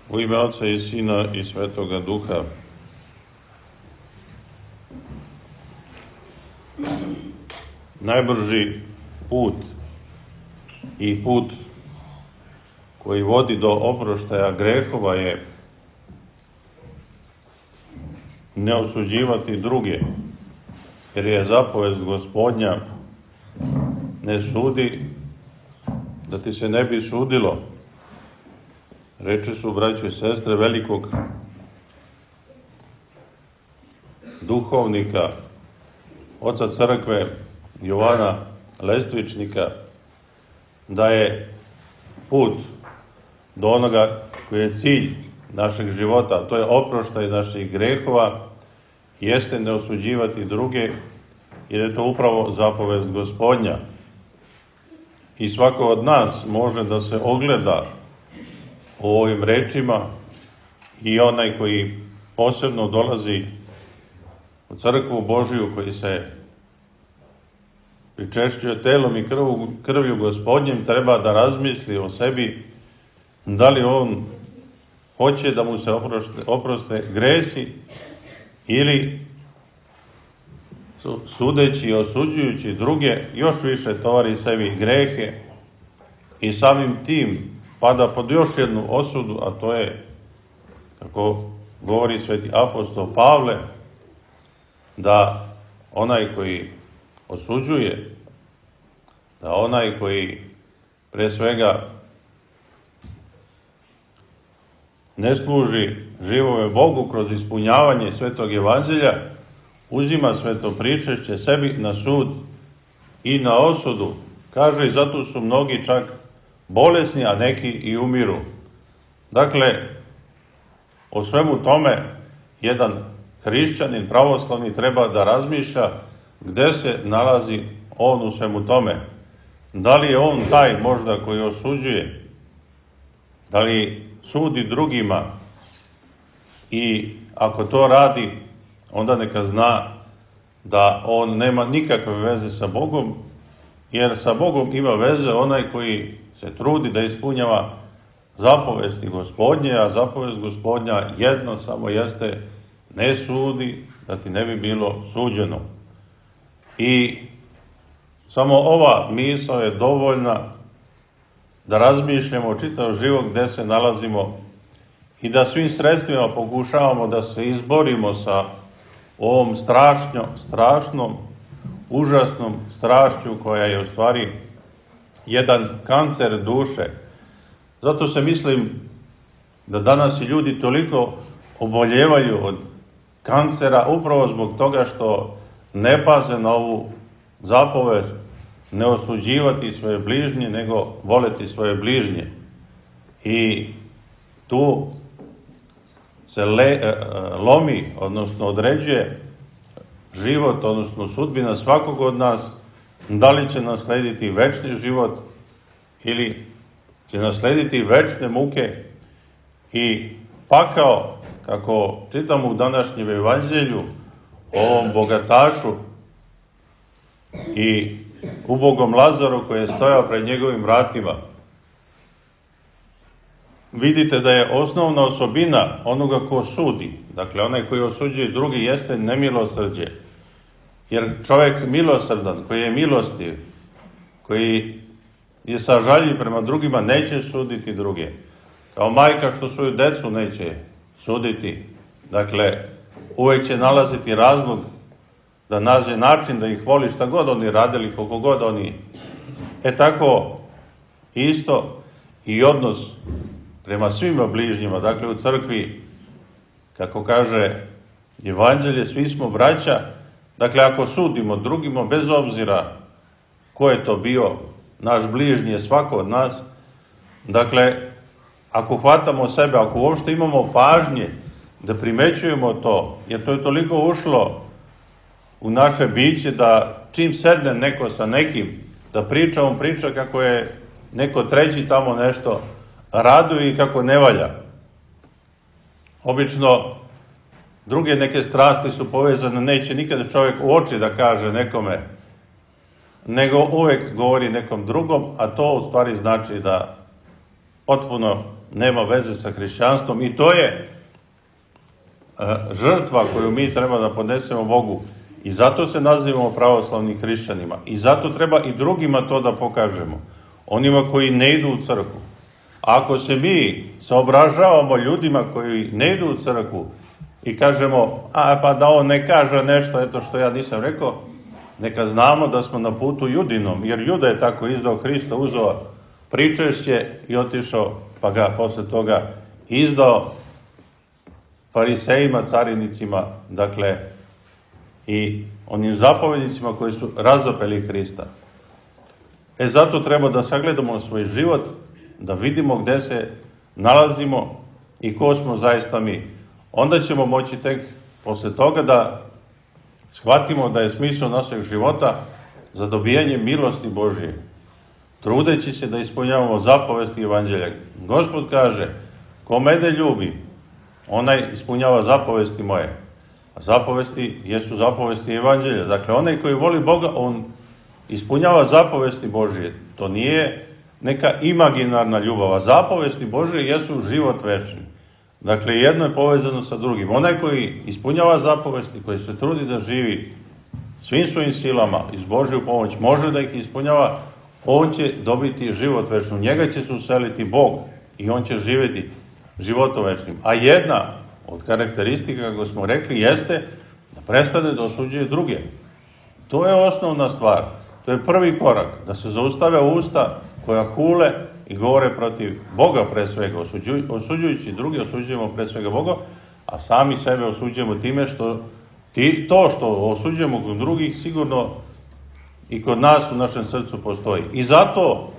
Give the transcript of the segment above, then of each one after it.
U ime Oca i Sina i Svetoga Duha. Najbrži put i put koji vodi do oproštaja grehova je ne osuđivati druge, jer je zapovest Gospodnja: ne sudi, da ti se ne bi sudilo. Reči su, braćo i sestre, velikog duhovnika, oca crkve Jovana Lestvičnika, da je put do onoga koji je cilj našeg života, a to je oproštaj naših grehova, jeste ne osuđivati druge, jer je to upravo zapovest Gospodnja. I svako od nas može da se ogleda u ovim rečima, i onaj koji posebno dolazi u crkvu Božiju, koji se pričešćuje telom i krvlju Gospodnjem, treba da razmisli o sebi, da li on hoće da mu se oproste gresi, ili sudeći i osuđujući druge još više tovari sebi grehe i samim tim pada pod još jednu osudu, a to je, kako govori sveti apostol Pavle, da onaj koji osuđuje, da onaj koji pre svega ne služi živome Bogu kroz ispunjavanje Svetog Evanđelja, uzima sveto pričešće sebi na sud i na osudu. Kaže, i zato su mnogi čak bolesni, a neki i umiru. Dakle, o svemu tome jedan hrišćanin pravoslavni treba da razmišlja gde se nalazi on u svemu tome. Da li je on taj možda koji osuđuje, da li sudi drugima, i ako to radi, onda neka zna da on nema nikakve veze sa Bogom, jer sa Bogom ima veze onaj koji se trudi da ispunjava zapovesti Gospodnje, a zapovest Gospodnja jedno samo jeste: ne sudi, da ti ne bi bilo suđeno. I samo ova misao je dovoljna da razmišljamo čitav život gde se nalazimo i da svim sredstvima pokušavamo da se izborimo sa ovom strašnom, užasnom strašću koja je u stvari jedan kancer duše. Zato se mislim da danas i ljudi toliko oboljevaju od kancera upravo zbog toga što ne paze na ovu zapovest: ne osuđivati svoje bližnje, nego voleti svoje bližnje. I tu se lomi, odnosno određuje život, odnosno sudbina svakog od nas, da li će naslediti večni život ili će naslediti večne muke i pakao, kako čitamo u današnjem evanđelju o ovom bogatašu i ubogom Lazaru koji je stojao pred njegovim vratima. Vidite da je osnovna osobina onoga ko sudi, dakle onaj koji osuđuje drugi, jeste nemilosrđe. Jer čovjek milosrdan, koji je milostiv, koji je sažaljiv prema drugima, neće suditi druge. Kao majka što svoju decu neće suditi. Dakle, uvek će nalaziti razlog da nađe način da ih voli, šta god oni radili, koliko god oni. Tako isto i odnos prema svima bližnjima. Dakle, u crkvi, kako kaže Evanđelje, svi smo braća. Dakle, ako sudimo drugima, bez obzira ko je to bio, naš bližnji je svako od nas. Dakle, ako hvatamo sebe, ako uopšte imamo pažnje da primećujemo to, jer to je toliko ušlo u naše biće da čim sedne neko sa nekim da priča, on priča kako je neko treći tamo nešto raduje i kako ne valja. Obično druge neke strasti su povezane, neće nikada čovjek u oči da kaže nekome, nego uvek govori nekom drugom, a to u stvari znači da potpuno nema veze sa hrišćanstvom i to je žrtva koju mi treba da podnesemo Bogu i zato se nazivamo pravoslavnim hrišćanima i zato treba i drugima to da pokažemo, onima koji ne idu u crkvu. Ako se mi saobražavamo ljudima koji ne idu u crkvu i kažemo, pa da on ne kaže nešto, eto što ja nisam rekao, neka znamo da smo na putu Judinom, jer Juda je tako izdao Hrista, uzeo pričešće i otišao, pa ga posle toga izdao farisejima, carinicima, dakle, i onim zapovednicima koji su razapeli Hrista. Zato treba da sagledamo svoj život, da vidimo gde se nalazimo i ko smo zaista mi. Onda ćemo moći tek posle toga da shvatimo da je smisao našeg života za dobijanje milosti Božije, trudeći se da ispunjavamo zapovesti Evanđelja. Gospod kaže, ko mene ljubi, onaj ispunjava zapovesti moje. A zapovesti jesu zapovesti Evanđelja. Dakle, onaj koji voli Boga, on ispunjava zapovesti Božije. To nije neka imaginarna ljubav, a zapovesti Božije jesu život večni. Dakle, jedno je povezano sa drugim. Onaj koji ispunjava zapovesti, koji se trudi da živi svim svojim silama iz Božju pomoć, može da ih ispunjava, on će dobiti život večni. U njega će se useliti Bog i on će živjeti životom večnim. A jedna od karakteristika, kako smo rekli, jeste da prestane da osuđuje druge. To je osnovna stvar. To je prvi korak. Da se zaustave usta koja hule i govore protiv Boga pre svega. Osuđujući druge, osuđujemo pre svega Boga, a sami sebe osuđujemo time što to što osuđujemo kod drugih sigurno i kod nas u našem srcu postoji. I zato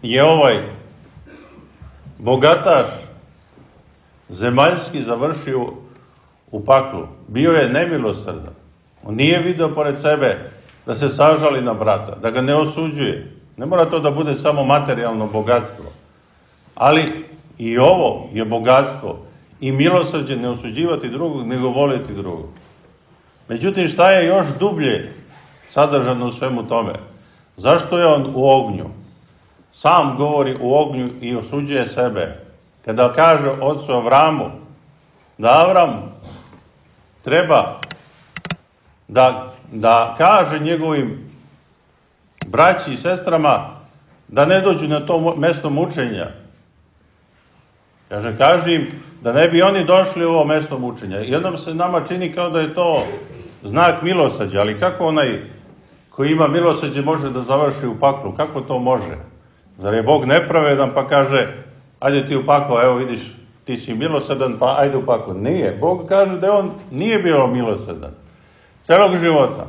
je ovaj bogataš zemaljski završio u paklu. Bio je nemilosrdan. On nije video pored sebe da se sažali na brata, da ga ne osuđuje. Ne mora to da bude samo materijalno bogatstvo. Ali i ovo je bogatstvo. I milosrđe ne osuđivati drugog, nego voliti drugog. Međutim, šta je još dublje sadržano u svemu tome? Zašto je on u ognju? Sam govori u ognju i osuđuje sebe. Kada kaže ocu Avramu da Avram treba da kaže njegovim braći i sestrama da ne dođu na to mesto mučenja. Kaže im da ne bi oni došli u ovo mesto mučenja. Jednom se nama čini kao da je to znak milosrđa, ali kako onaj koji ima milosrđe može da završi u paklu? Kako to može? Zar je Bog nepravedan pa kaže, ajde ti u paklo, evo vidiš, ti si milosrdan, pa ajde u paklo. Nije. Bog kaže da on nije bio milosrdan. Celog života,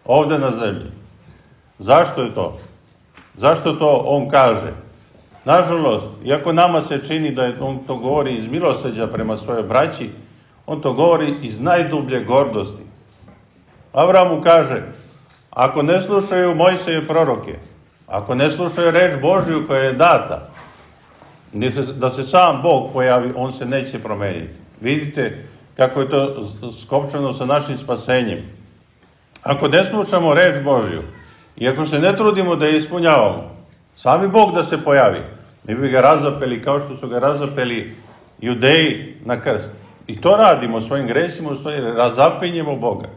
ovde na zemlji. Zašto je to? Zašto to on kaže? Nažalost, iako nama se čini da on to govori iz milosrđa prema svojoj braći, on to govori iz najdublje gordosti. Avram mu kaže, ako ne slušaju Mojsije proroke, ako ne slušaju reč Božju koja je data, da se sam Bog pojavi, on se neće promeniti. Vidite kako je to skopčano sa našim spasenjem. Ako ne slušamo reč Božju i ako se ne trudimo da je ispunjavamo, sami Bog da se pojavi, mi bi ga razapeli kao što su ga razapeli Judeji na krst. I to radimo svojim gresima, u stvari razapinjemo Boga.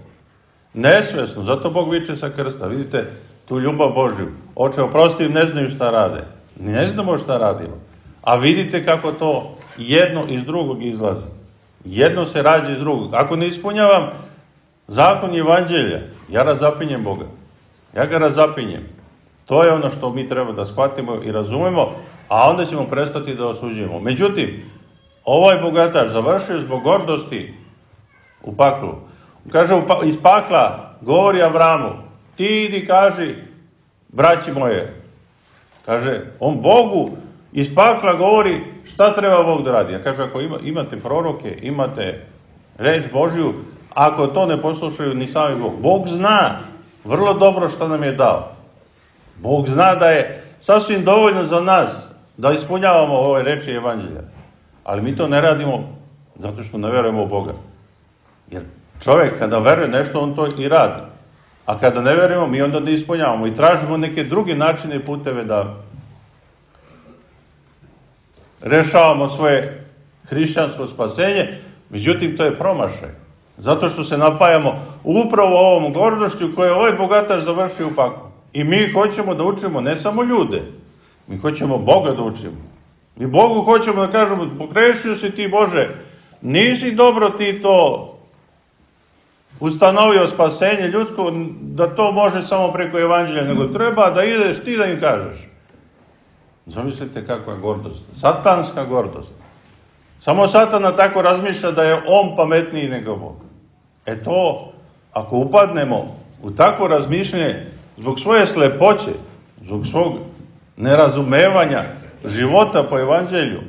Nesvesno, zato Bog viče sa krsta. Vidite tu ljubav Božju. Oče, oprosti, ne znaju šta rade. Ne znamo šta radimo. A vidite kako to jedno iz drugog izlazi. Jedno se rađa iz drugog. Ako ne ispunjavam zakon i Evanđelja, ja razapinjem Boga. Ja ga razapinjem. To je ono što mi treba da shvatimo i razumemo, a onda ćemo prestati da osuđujemo. Međutim, ovaj bogataš završio zbog gordosti u paklu. Kaže, iz pakla govori Avramu, ti idi kaži, braći moje. Kaže, on Bogu iz pakla govori šta treba Bog da radi. Ja kaže, ako imate proroke, imate reč Božju, ako to ne poslušaju ni sami Bog. Bog zna vrlo dobro šta nam je dao. Bog zna da je sasvim dovoljno za nas da ispunjavamo ove reči Evanđelja. Ali mi to ne radimo zato što ne verujemo u Boga. Jer čovjek kada veruje nešto, on to i radi. A kada ne verujemo, mi onda ne ispunjavamo i tražimo neke druge načine i puteve rešavamo svoje hrišćansko spasenje, međutim to je promašaj. Zato što se napajamo upravo ovom gordošću koju je ovaj bogataš završio u paklu. I mi hoćemo da učimo ne samo ljude, mi hoćemo Boga da učimo. Mi Bogu hoćemo da kažemo, pogrešio si ti Bože, nisi dobro ti to ustanovio spasenje ljudsko, da to može samo preko evanđelja, nego treba da ideš ti da im kažeš. Zamislite kakva je gordost. Satanska gordost. Samo Satana tako razmišlja da je on pametniji nego Bog. To, ako upadnemo u takvo razmišljanje, zbog svoje slepoće, zbog svog nerazumevanja života po evanđelju,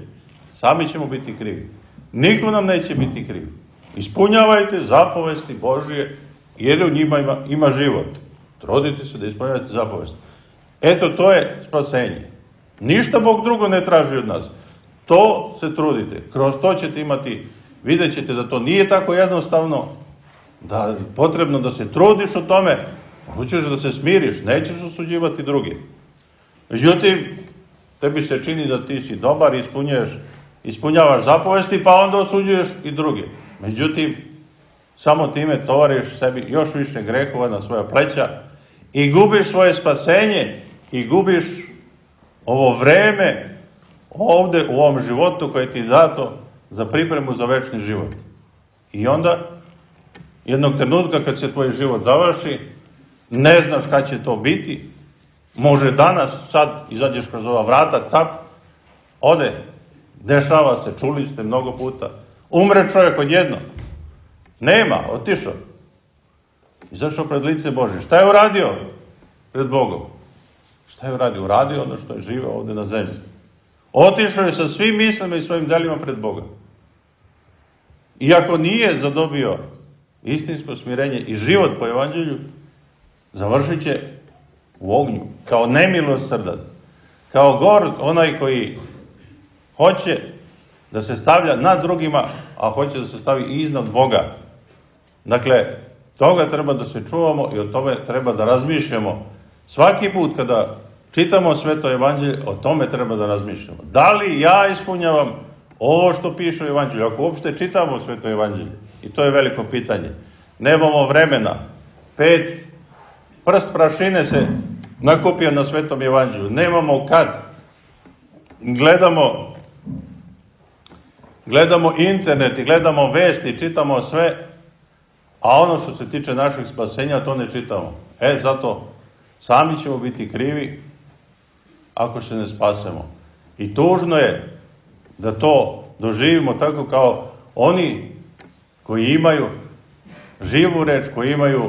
sami ćemo biti krivi. Niko nam neće biti kriv. Ispunjavajte zapovesti Božije, jer u njima ima život. Trudite se da ispunjavate zapovesti. To je spasenje. Ništa Bog drugo ne traži od nas. To se trudite. Kroz to ćete imati, vidjet ćete da to nije tako jednostavno, da je potrebno da se trudiš u tome, hoćeš da se smiriš, nećeš osuđivati druge. Međutim, tebi se čini da ti si dobar, ispunjavaš zapovesti, pa onda osuđuješ i druge. Međutim, samo time tovariš sebi još više grehova na svoja pleća i gubiš svoje spasenje i gubiš ovo vreme ovde u ovom životu koje ti je dato za pripremu za večni život. I onda, jednog trenutka kad se tvoj život završi, ne znaš kad će to biti, može danas, sad izađeš kroz ova vrata, tap, ode, dešava se, čuli ste mnogo puta, umre čovjek odjedno, nema, otišao, izašao pred lice Božje. Šta je uradio pred Bogom? Šta je uradio? Uradio ono što je živeo ovde na zemlji. Otišao je sa svim mislima i svojim delima pred Boga. Iako nije zadobio istinsko smirenje i život po evanđelju, završit će u ognju, kao nemilosrdan, kao gord, onaj koji hoće da se stavlja nad drugima, a hoće da se stavi iznad Boga. Dakle, toga treba da se čuvamo i o tome treba da razmišljamo. Svaki put kada čitamo Sveto evanđelje, o tome treba da razmišljamo. Da li ja ispunjavam ovo što piše u evanđelju? Ako uopšte čitamo Sveto evanđelje, i to je veliko pitanje. Nemamo vremena. 5 prst prašine se nakupio na Svetom evanđelju. Nemamo kad. Gledamo internet i gledamo vesti, čitamo sve, a ono što se tiče našeg spasenja, to ne čitamo. Zato sami ćemo biti krivi ako se ne spasemo. I tužno je da to doživimo tako kao oni koji imaju živu reč, koji imaju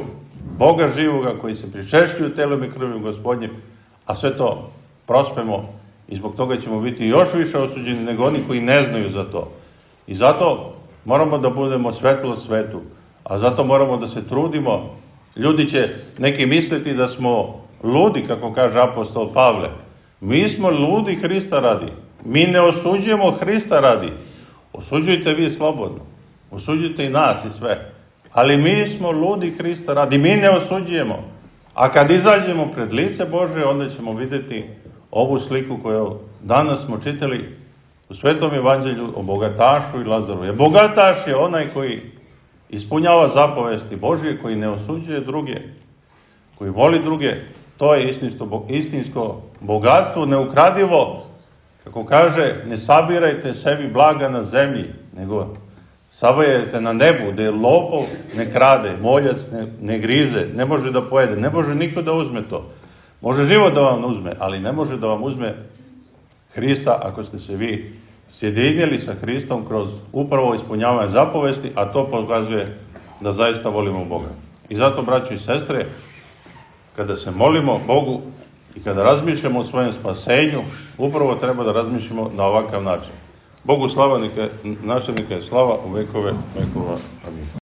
Boga živoga, koji se pričešćuju telom i krvlju Gospodnjim, a sve to prospemo i zbog toga ćemo biti još više osuđeni nego oni koji ne znaju za to. I zato moramo da budemo svetlo svetu, a zato moramo da se trudimo. Ljudi će neki misliti da smo ludi, kako kaže apostol Pavle. Mi smo ludi Hrista radi. Mi ne osuđujemo Hrista radi. Osuđujte vi slobodno. Osuđujte i nas i sve. Ali mi smo ludi Hrista radi. Mi ne osuđujemo. A kad izađemo pred lice Božje, onda ćemo vidjeti ovu sliku koju danas smo čitali u Svetom evanđelju o bogatašu i Lazaru. Jer bogataš je onaj koji ispunjava zapovesti Božje, koji ne osuđuje druge, koji voli druge. To je istinsko bogatstvo, neukradivo. Kako kaže, ne sabirajte sebi blaga na zemlji, nego savajajte na nebu, gde lopov ne krade, moljac ne grize, ne može da pojede, ne može niko da uzme to. Može život da vam uzme, ali ne može da vam uzme Hrista ako ste se vi sjedinjeli sa Hristom kroz upravo ispunjavanje zapovesti, a to pokazuje da zaista volimo Boga. I zato, braćo i sestre, kada se molimo Bogu i kada razmišljamo o svojem spasenju, upravo treba da razmišljamo na ovakav način. Bogu slava, načelnika je slava u vekove vekova. Amin.